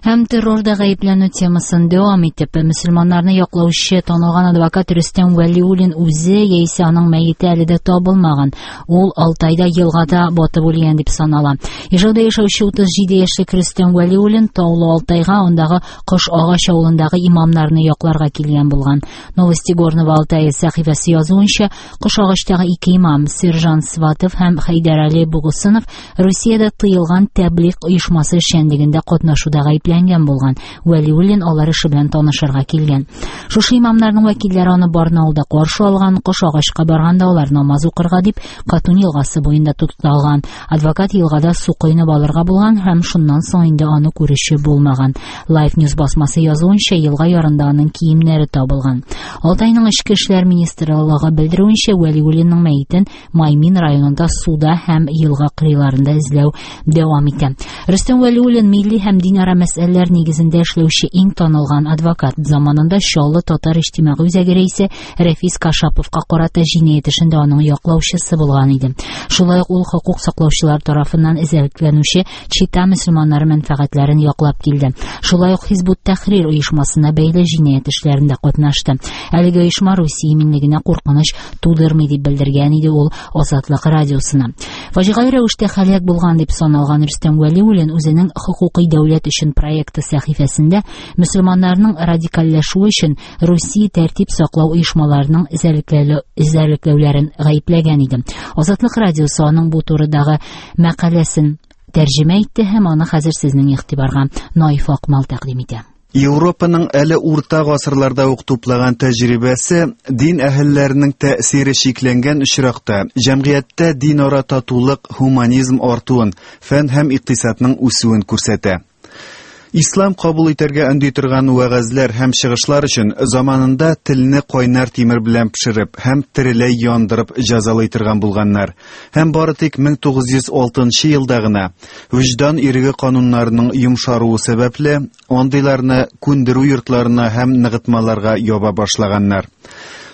Һәм террорда гаепләнү темасын дәвам итеп, мөселманнарны яклаучы танылган адвокат Рөстәм Вәлиуллин үзе яисә аның мәете әле дә табылмаган. Ул Алтайда елгада батып үлгән дип санала. Ижауда яшәүче 37 яшьлек Рөстәм Вәлиуллин Таулы Алтайга, андагы Кош Агач авылындагы имамнарны якларга килгән булган. Новости Горного Алтая сәхифәсе язуынча, Кош Агачтагы ике имам, Сержан Сватов һәм Хәйдәрали Бугусынов Русиядә тыелган Тәблигъ оешмасы эшчәнлегендә катнашуда гаепләнгән булган. Вәлиуллин алар эше белән танышырга килгән. Шушы имамнарның вәкилләре аны Барнаулда каршы алган, Кош Агачка барганда алар намаз укырга дип Катун елгасы буенда тукталган. Адвокат елгада су коенып алырга булган һәм шуннан соң инде аны күрүче булмаган. Life News басмасы язуынча, елга ярында аның киемнәре табылган. Алтайның эчке эшләр министрлыгы белдерүенчә, Вәлиуллинның мәетен Маймин районында суда һәм елга кырыйларында эзләү дәвам итә. Рөстәм Вәлиуллин милли һәм динара мәсьәләләр нигезендә эшләүче иң танылган адвокат. Заманында Чаллы татар иҗтимагый үзәге рәисе Рәфис Кашаповка карата җинаять эшендә аның яклаучысы булган иде. Шулай ук ул хокук саклаучылар тарафыннан эзәрлекләнүче Чита мөселманнары мәнфәгатьләрен яклап килде. Шулай ук Хизбут Тәхрир оешмасына бәйле җинаять эшләрендә катнашты. Әлеге оешма Русия иминлегенә куркыныч тудырмый дип белдергән иде ул Азатлык радиосына. Фаҗигале рәвештә һәлак булган дип саналган Рөстәм Вәлиуллин үзенең Хокукый дәүләт өчен проекты сәхифәсендә мөселманнарның радикальләшүе өчен Русия тәртип саклау оешмаларының эзәрлекләүләрен гаепләгән иде. Азатлык радиосы аның бу турыдагы мәкаләсен тәрҗемә итте һәм аны хәзер сезнең игътибарга Наиф Акмал тәкъдим итә. Европаның әле урта гасырларда ук туплаган тәҗрибәсе дин әһелләренең тәэсире чикләнгән очракта җәмгыятьтә динара татулык, һуманизм артуын, фән һәм икътисадның үсүен күрсәтә. Ислам кабул итәргә өнди торган вәгазьләр һәм чыгышлар өчен заманында телне кайнар тимер белән пешереп һәм тереләй яндырып җәзалый торган булганнар. Һәм бары тик 1906 елда гына вөҗдан иреге кануннарының йомшаруы сәбәпле андыйларны күндерү йортларына һәм ныгытмаларга яба башлаганнар.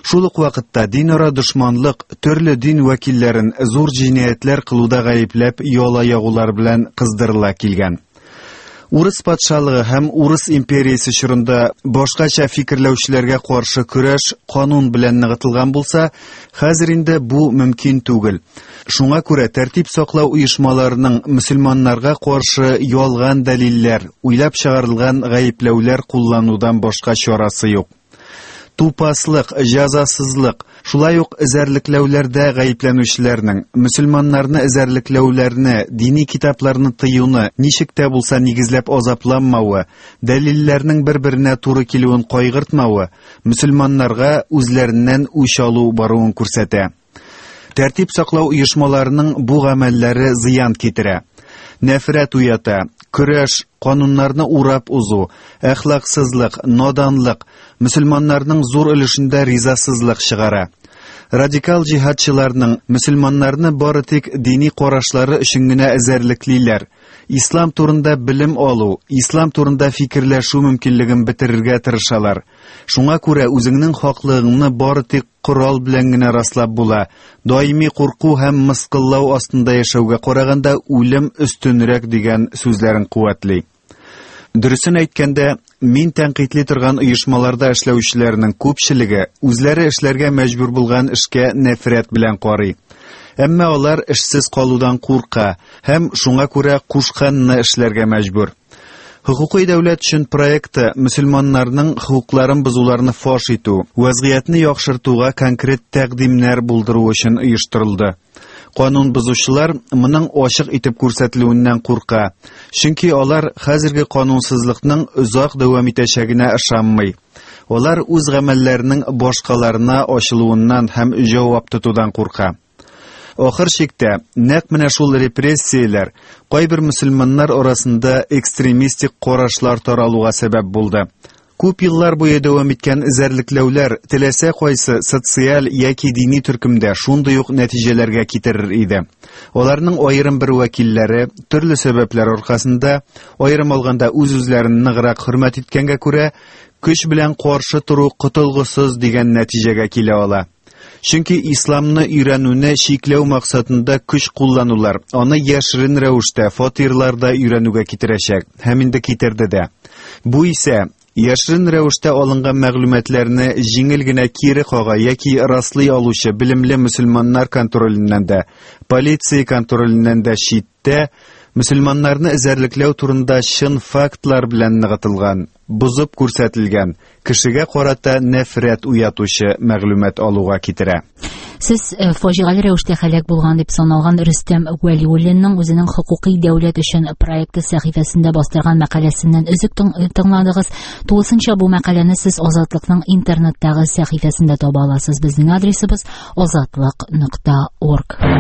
Шул ук вакытта динара дошманлык төрле дин вәкилләрен зур җинаятьләр кылуда гаепләп яла ягулар белән кыздырыла килгән. Урыс патшалыгы һәм Урыс империясе чорында башкача фикерләүчеләргә каршы көрәш канун белән ныгытылган булса, хәзер инде бу мөмкин түгел. Шуңа күрә тәртип саклау оешмаларының мөселманнарга каршы ялган дәлилләр, уйлап чыгарылган гаепләүләр кулланудан башка чарасы юк. Тупаслык, җәзасызлык, шулай ук эзәрлекләүләрдә гаепләнүчеләрнең, мөселманнарны эзәрлекләүләрне, дини китапларны тыюны ничек тә булса нигезләп азапланмавы, дәлилләрнең бер-беренә туры килүен кайгыртмавы, мөселманнарга үзләреннән үч алу баруын күрсәтә. Тәртип саклау оешмаларының бу гамәлләре зыян китерә. Нәфрәт уята, көрәш, кануннарны урап узу, әхлаксызлык, наданлык, мөселманнарның зур өлешендә ризасызлык чыгара. Радикал җиһадчыларның мөселманнарны бары тик дини карашлары өчен генә эзәрлеклиләр. Ислам турында белем алу, ислам турында фикерләшү мөмкинлеген бетерергә тырышалар. Шуңа күрә үзеңнең хаклыгыңны бары тик корал белән генә раслап була. Даими курку һәм мыскыллау астында яшәүгә караганда үлем өстенрәк дигән сүзләрен куәтли. Дөресен әйткәндә, мин тәнкыйтьли торган оешмаларда эшләүчеләрнең күпчелеге үзләре эшләргә мәҗбүр булган эшкә нәфрәт белән карый. Әмма алар эшсез калудан курка һәм шуңа күрә кушканны эшләргә мәҗбүр. Хокукый дәүләт өчен проекты мөселманнарның хокукларын бозуларны фаш итү, вазгыятьне яхшыртуга конкрет тәкъдимнәр булдыру өчен оештырылды. Канун бозучылар моның ачык итеп күрсәтелүеннән курка, чөнки алар хәзерге канунсызлыкның озак дәвам итәчәгенә ышанмый. Алар үз гамәлләренең башкаларына ачылуыннан һәм җавап тотудан курка. Ахыр чиктә, нәкъ менә шул репрессияләр кайбер мөселманнар арасында экстремистик карашлар таралуга сәбәп булды. Күп еллар буе дәвам иткән эзәрлекләүләр теләсә кайсы социаль яки дини төркемдә шундый ук нәтиҗәләргә китерер иде. Аларның аерым бер вәкилләре төрле сәбәпләр аркасында, аерым алганда үз-үзләрен ныграк хөрмәт иткәнгә күрә, көч белән каршы тору котылгысыз дигән нәтиҗәгә килә ала. Чөнки исламны өйрәнүне чикләү максатында көч кулланулар аны яшерен рәвештә фатирларда өйрәнүгә китерәчәк һәм инде китерде дә. Бу исә яшерен рәвештә алынган мәгълүматларны җиңел генә кире кага яки раслый алучы белемле мөселманнар контроленнән дә, полиция контроленнән дә читтә мөселманнарны эзәрлекләү турында чын фактлар белән ныгытылган, бозып күрсәтелгән, кешегә карата нәфрәт уятучы мәгълүмат алуга китерә. Сез э, фаҗигале рәвештә һәлак булган дип саналган Рөстәм Вәлиуллинның үзенең хокукый дәүләт өчен проекты сәхифәсендә бастырган мәкаләсеннән өзек тыңладыгыз. Тулысынча бу мәкаләне сез Азатлыкның интернеттагы сәхифәсендә таба аласыз. Безнең адресыбыз азатлык.орг.